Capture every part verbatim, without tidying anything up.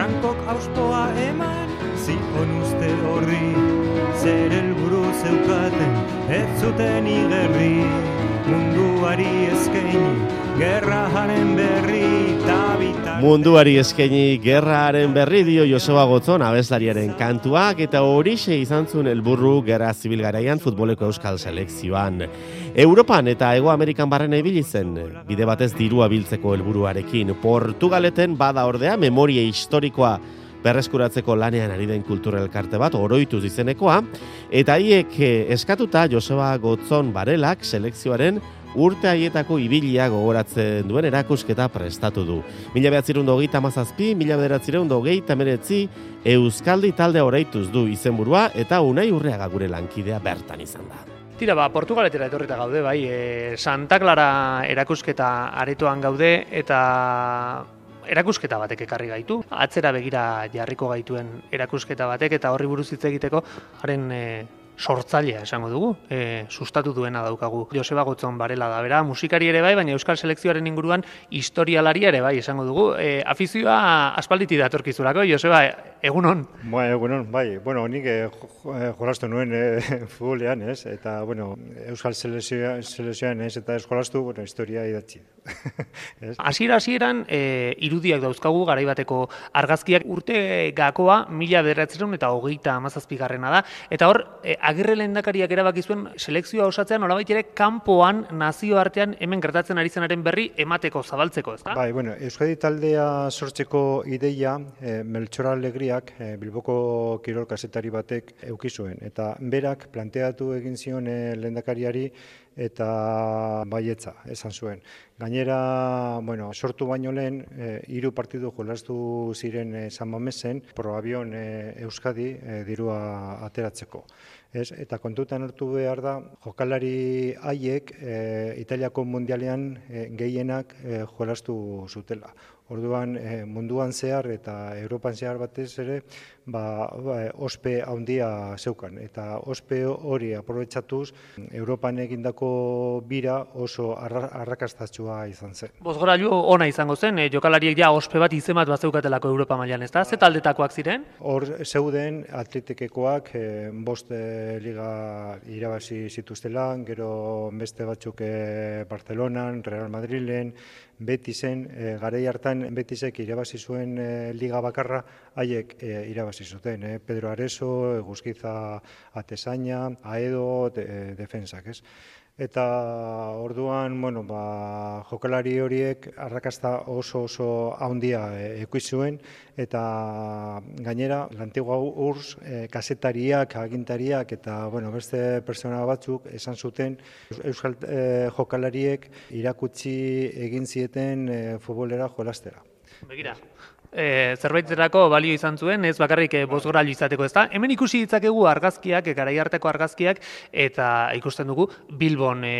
Frankok auspoa eman, zion uste horri, zer helburu zeukaten, ez zuten igerri, munduari eskaini, gerraren berri, tabitak... Munduari eskaini gerraren berri dio Joseba Gotzon abeslariaren kantuak, eta horixe izan zuen helburru gerra zibil garaian futboleko euskal selekzioan. Europan eta Hego Amerikan barrena ibili zen, bide batez dirua biltzeko helburuarekin. Portugaleten bada ordea memoria historikoa berreskuratzeko lanean ari den kultura elkarte bat, oroituz izenekoa, eta haiek eskatuta Joseba Gotzon Barelak selekzioaren urte haietako ibilia gogoratzen duen erakusketa prestatu du. Mila bederatzirehun eta hogeita hamazazpi, mila bederatzirehun eta hogeita hemeretzi Euskaldi talde oraituz du izenburua, eta Unai Urreaga gure lankidea bertan izan da. Tira, ba, Portugaletera etorrita gaude, bai, e, Santa Clara erakusketa aretoan gaude, eta erakusketa batek ekarri gaitu. Atzera begira jarriko gaituen erakusketa batek, eta horri buruz hitz egiteko haren e, sortzailea esango dugu, e, sustatu duena daukagu. Joseba Gotzon Barela da bera, musikari ere bai, baina euskal selekzioaren inguruan historialaria ere bai esango dugu. E, afizioa aspalditi datorkizulako, Joseba, egunon? Ba, egunon, bai. Bueno, nik e, jolastu nuen e, futbolean, ez? Eta, bueno, euskal selekzioan ez, eta jolastu, bueno, historia idatzi. Hasiera hasieran e, irudiak dauzkagu garaibateko argazkiak, urte gakoa mila bederatzirehun eta hogeita hamazazpigarrena da, eta hor e, Agirre lehendakariak erabaki zuen selekzioa osatzean nolabait ere kanpoan nazioartean hemen gertatzen ari zenaren berri emateko, zabaltzeko, ezta? Bai, bueno, Euskadi taldea sortzeko ideia e, Meltxor Alegriak e, Bilboko kirol kazetari batek eduki zuen, eta berak planteatu egin zion e, lehendakariari eta baietza esan zuen. Gainera, bueno, sortu baino lehen, e, hiru partidu jolastu ziren e, San Mamesen, Proabion e, Euskadi e, dirua ateratzeko. Ez? Eta kontutan hartu behar da, jokalari haiek e, Italiako mundialean e, gehienak e, jolastu zutela. Orduan e, munduan zehar eta Europan zehar batez ere, ba, ba, ospe handia zeukan. Eta ospe hori aprobetxatuz, Europan egindako bira oso arra, arrakastatsua izan zen. Bozgorailu ona izango zen, e, jokalariek ja ospe bat izemat bat zeukatelako Europa mailan, ez da? Ze taldetakoak ziren? Hor zeuden atletikekoak e, bost e, liga irabazi zituztela, gero beste batzuk e, Barcelonan, Real Madrilen, Betisen, e, garai hartan Betisek irabazi zuen e, liga bakarra, haiek e, irabazi zuten, e, Pedro Areso, Eguzkiza Atezaina, Aedo, de, defensak, ez? Eta orduan, bueno, ba, jokalari horiek arrakasta oso oso handia eduki zuen, eta gainera lantigua urs e, kazetariak, agintariak eta bueno, beste pertsona batzuk esan zuten euskal e, jokalariek irakutsi egin zieten e, futbolera jolastera. Begira. E, zerbaiterako balio izan zuen, ez bakarrik e, bozgorailu izateko, ez da? Hemen ikusi ditzakegu argazkiak, e, garai hartako argazkiak, eta ikusten dugu Bilbon e,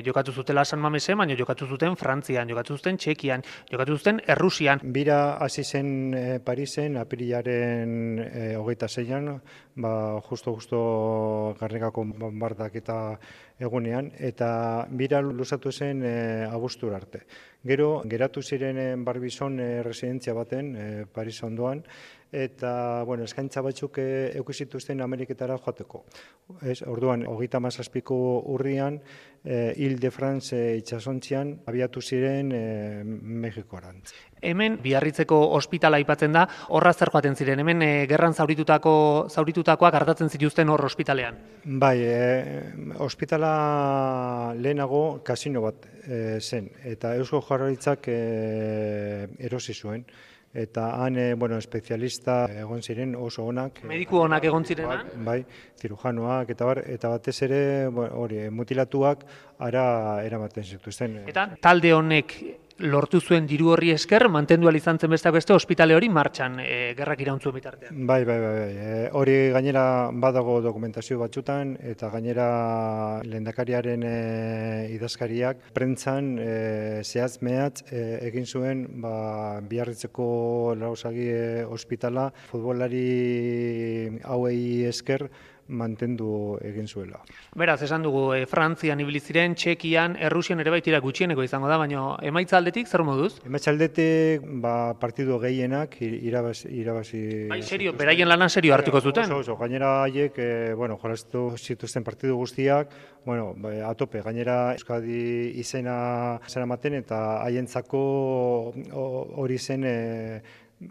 jokatu zutela San Mamesen, baina jokatu zuten Frantzian, jokatu zuten Txekian, jokatu zuten Errusian. Bira hasi zen e, Parisen, apirilaren e, hogeita zeian, ba, justo-justo Garrigako bombardak eta egunean, eta bira luzatu zen e, abuztur arte. Gero, geratu ziren Barbizon e, residentzia baten, e, Paris ondoan, eta bueno, eskaintza batzuk eduki zituzten Ameriketara joateko. Ez, orduan, hogeita hamazazpiko urrian, e, Ile de France e, itsasontzian abiatu ziren e, Mexikoarantz. Hemen Biarritzeko ospitala aipatzen da, horra zer joaten ziren, hemen e, gerran zauritutako zauritutakoak artatzen zituzten hor ospitalean. Bai, e, ospitala lehenago kasino bat e, zen, eta Eusko Jaurlaritzak e, erosi zuen. Eta han, bueno, espezialista egon ziren oso onak. Mediku onak egon zirenan? Bai, zirujanoak eta bar, eta batez ere, hori, mutilatuak ara eramaten zituzten. Eta talde honek lortu zuen diru horri esker, mantendu ahal izan zen besteak beste ospitale hori martxan, e, gerrak irauntzuen bitartean. Bai, bai, bai, bai. E, hori gainera badago dokumentazio batzutan, eta gainera lehendakariaren e, idazkariak prentzan e, zehaz mehatz e, egin zuen ba, Biarritzeko Lausagi e, ospitala futbolari hauei esker mantendu egin zuela. Beraz, esan dugu, e, Frantzian ibili ziren, Txekian, Errusian ere baitira gutxieneko izango da, baina emaitza aldetik zer moduz? Emaitza aldetik, ba, partidu gehienak irabazi... irabazi bai, serio, beraien lanan serio hartuko zuten? Oso, oso, gainera haiek, e, bueno, jolastu zituzten partidu guztiak, bueno, ba, atope, gainera Euskadi izena zeramaten eta haientzako hori zen e,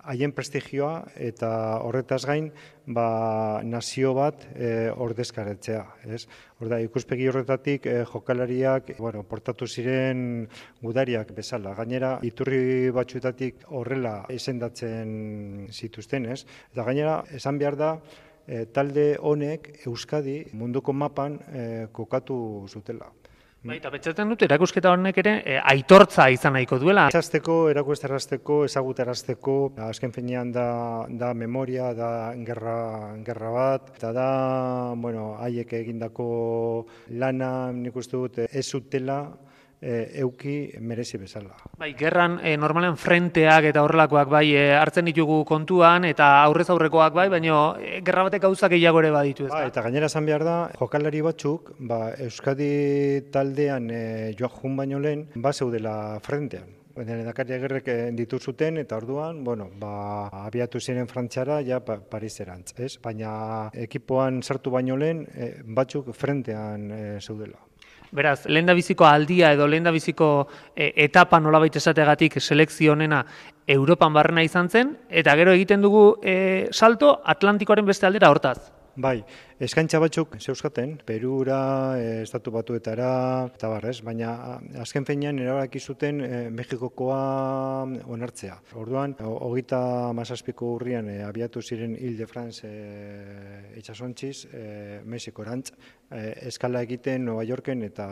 haien prestigioa eta horretaz gain ba, nazio bat e, ordezkaretzea. Ez? Horda, ikuspegi horretatik e, jokalariak bueno, portatu ziren gudariak bezala. Gainera, iturri batzuetatik horrela izendatzen zituzten. Ez? Eta gainera, esan behar da, e, talde honek Euskadi munduko mapan e, kokatu zutela. Bai, eta pentsatzen dut, erakusketa honek ere e, aitortza izan nahiko duela. Ezazteko, erakustarazteko, ezagutarazteko, azken finean da, da memoria, da gerra, gerra bat, eta da, bueno, haiek egindako lana, nik uste dut, ez zutela, E, euki merezi bezala. Bai, gerran e, normalen frenteak eta horrelakoak bai e, hartzen ditugu kontuan eta aurrez aurrekoak bai, baina e, gerra batek gauzak gehiago ere baditu, ezta? Ba, eta gainera esan behar da, jokalari batzuk, ba, Euskadi taldean e, joak jun baino lehen, ba zeudela frentean. Lehendakari Agirrek ditu zuten eta orduan, bueno, ba, abiatu ziren Frantziara ja pa, Pariserantz, ez? Baina ekipoan sartu baino lehen, e, batzuk frentean e, zeudela. Beraz, lehendabiziko aldia edo lehendabiziko e, etapa nolabait esategatik selekzio honena Europan barrena izan zen, eta gero egiten dugu e, salto Atlantikoaren beste aldera hortaz. Bai, eskaintza batzuk zeuzkaten, Perura, e, Estatu Batuetara, eta barrez, baina azken finean erabaki zuten e, Mexikokoa onartzea. Orduan, hogeita hamazazpiko urrian e, abiatu ziren Ile-de-France e, itsasontziz, e, Mexikorantz, e, eskala egiten Nueva Yorken eta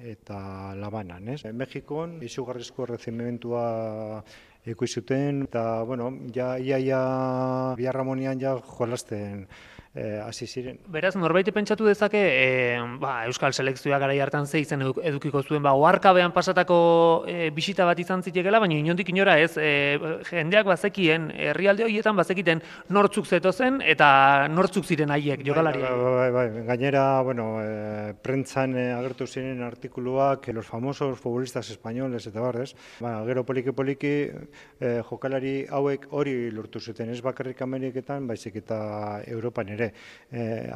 eta Labanan, ez? Mexikon izugarrizko errezimentua ikusi zuten eta bueno, ja iaia Biarramonian ja jolasten hasi ziren. Beraz, norbaiti pentsatu dezake, e, ba, Euskal Selekzioa garai hartan ze izen edukiko zuen, ba, oharkabean pasatako e, bisita bat izan zitekela, baina inondik inora ez, e, jendeak bazekien, herrialde horietan bazekiten nortzuk zetozen eta nortzuk ziren haiek, jokalari. Bai, bai, bai, bai. Gainera, bueno, e, prentzan e, agertu ziren artikuluak, los famosos futbolistas españoles eta barrez, ba, gero poliki-poliki e, jokalari hauek hori lortu zuten, ez bakarrik Ameriketan, baizik eta Europan ere.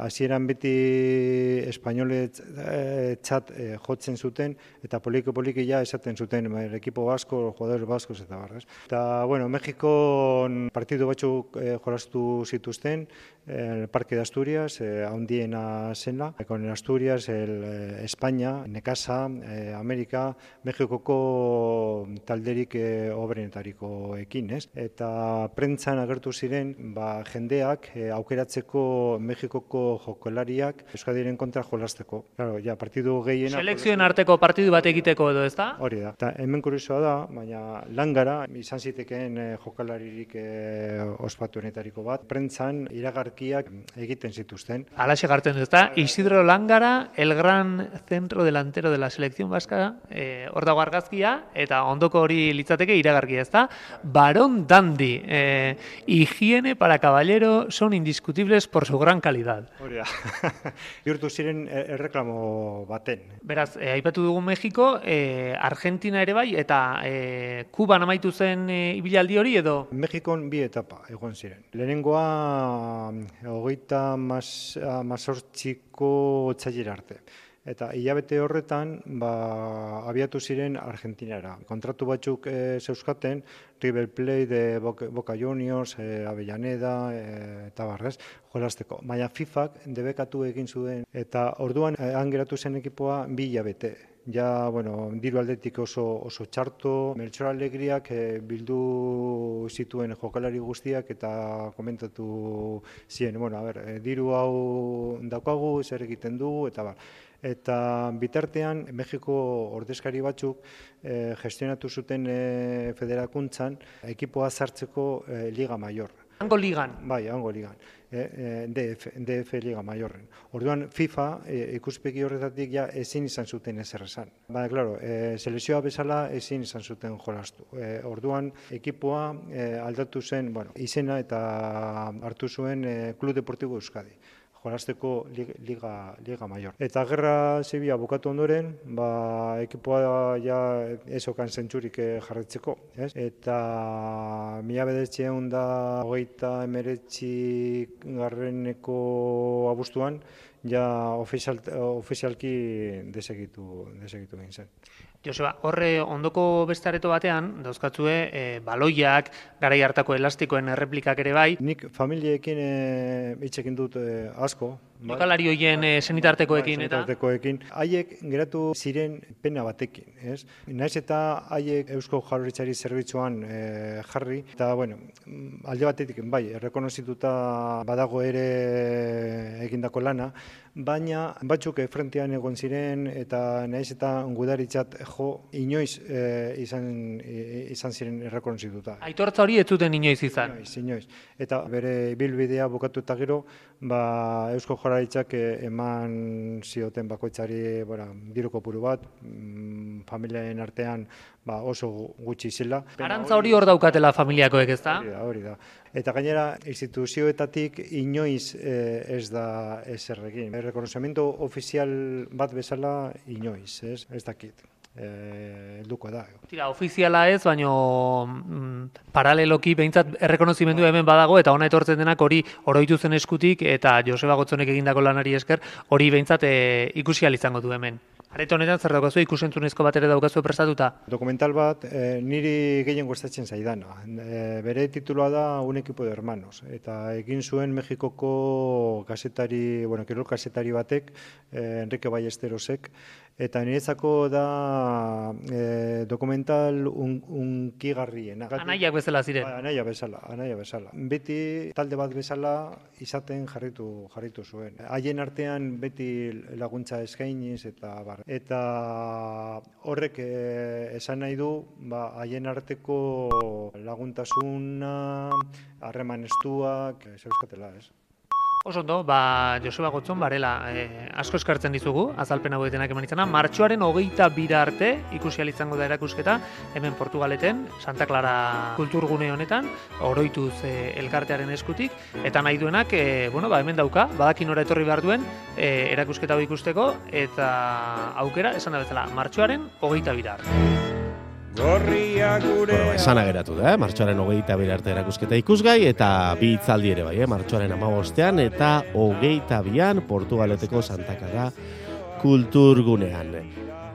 Hasieran beti espainolet txat jotzen zuten eta poliki-poliki ja esaten zuten el equipo vasco, jugadores vascos eta barrez. Eta, bueno, Mexikon partidu batzuk jolastu zituzten, el Parque de Asturias, handiena zena, con el Asturias, el España, Nekasa, Amerika, Mexikoko talderik obrenetariko ekin, ez? Eta prentzan agertu ziren, ba, jendeak aukeratzeko Mexikoko jokalariak Euskadiren kontra jolasteko. Claro, ja, partidu gehiena... Selekzioen arteko partidu bat egiteko edo, ezta? Hori da. Eta hemen kuriosoa da, baina langara izan zitekeen jokalaririk ospatuenetariko bat, prentzan iragarkiak egiten zituzten. Alaxe gartzen du, ezta? Isidro Langara, el gran centro delantero de la selección vasca, eh, hor dago argazkia, eta ondoko hori litzateke iragarkia, ezta? Barón Dandy, eh, higiene para caballero son indiscutibles por su gran calidad. Hori da. Bihurtu ziren erreklamo baten. Beraz, eh, aipatu dugu Mexiko, eh, Argentina ere bai, eta eh, Kuban amaitu zen eh, ibilaldi hori edo? Mexikon bi etapa egon ziren. Lehenengoa hogeita mazortziko otsailera arte. Eta hilabete horretan ba, abiatu ziren Argentinara. Kontratu batzuk e, zeuzkaten, River Plate, de Boca, Boca Juniors, e, Avellaneda e, eta barrez, jolasteko. Baina FIFAk debekatu egin zuen eta orduan e, hangeratu zen ekipoa bi hilabete. Ja, bueno, diru aldetik oso, oso txarto, Melchor Alegriak e, bildu zituen jokalari guztiak eta komentatu ziren, bueno, a ber, e, diru hau daukagu, zer egiten dugu, eta bar. Eta bitartean, Mexiko ordezkari batzuk eh, gestionatu zuten eh, federakuntzan ekipoa sartzeko eh, Liga Mayor. Hango ligan? Bai, hango ligan. Eh, D F, D F Liga Mayorren. Orduan, FIFA eh, ikuspegi horretatik ja ezin izan zuten ezer esan. Baina, klaro, eh, selekzioa bezala ezin izan zuten jolastu. Eh, orduan, ekipoa eh, aldatu zen, bueno, izena eta hartu zuen eh, Club Deportivo Euskadi. jolasteko liga, liga mayor. Eta gerra zibila bukatu ondoren, ba, ekipoa ja ez okan zentzurik jarretzeko. Ez? Eta mila bederatziehun da hogeita hemeretzi garreneko abuztuan, ja ofizial, ofizialki desegitu, desegitu egin zen. Joseba, horre ondoko beste areto batean, dauzkatzue, e, baloiak, garai hartako elastikoen erreplikak ere bai. Nik familiekin hitz egin dut e, asko. Jokalari horien e, senitartekoekin eta? Senitartekoekin. Haiek geratu ziren pena batekin, ez? Naiz eta haiek Eusko Jaurlaritzari zerbitzuan e, jarri, eta, bueno, alde batetik, bai, errekonozituta badago ere egindako lana, baina batzuk frentean egon ziren eta naiz eta gudaritzat jo inoiz e, izan, e, izan ziren errekonozituta. Aitortza hori ez zuten inoiz izan? Inoiz, inoiz. Eta bere bilbidea bukatu eta gero, ba, Eusko Jaurlaritzak eman zioten bakoitzari bueno, diru kopuru bat, mm, familiaren artean ba, oso gutxi zela. Arantza hori hor daukatela familiakoek, ez da? Hori da, hori da. Eta gainera, instituzioetatik inoiz eh, ez da ezer egin. Errekonozimiento ofizial bat bezala inoiz, ez, ez dakit. Helduko da. Tira, ofiziala ez, baino mm, paraleloki behintzat errekonozimendu hemen badago eta ona etortzen denak hori oroitu zen eskutik eta Joseba Gotzonek egindako lanari esker hori behintzat e, ikusi ahal izango du hemen. Areto honetan zer daukazu ikusentzunezko bat ere daukazu prestatuta? Dokumental bat e, niri gehien gustatzen zaidana. E, bere tituloa da Un equipo de hermanos eta egin zuen Mexikoko kazetari, bueno, kirol kazetari batek, e, Enrique Ballesterosek, eta niretzako da e, dokumental un, unkigarriena. Anaiak bezala ziren. Ba, anaia bezala, anaia bezala. Beti talde bat bezala izaten jarritu jarritu zuen. Haien artean beti laguntza eskainiz eta bar. Eta horrek e, esan nahi du, ba, haien arteko laguntasuna, harreman estuak, zeuskatela, ez? Oso ondo, ba, Joseba Gotzon, barela, eh, asko eskartzen dizugu, azalpen hauetenak eman izana. Martxoaren hogeita bira arte ikusi ahal izango da erakusketa, hemen Portugaleten, Santa Clara kulturgune honetan, oroituz eh, elkartearen eskutik, eta nahi duenak, eh, bueno, ba, hemen dauka, badakin ora etorri behar duen, eh, erakusketa hau ikusteko, eta aukera, esan da bezala, martxoaren hogeita bira arte. Bueno, esan ageratu da, eh? Martxoaren hogeita bira arte erakusketa ikusgai, eta bi hitzaldi ere bai, eh? Martxoaren hamabostean eta hogeita bian Portugaleteko Santa Clara kulturgunean.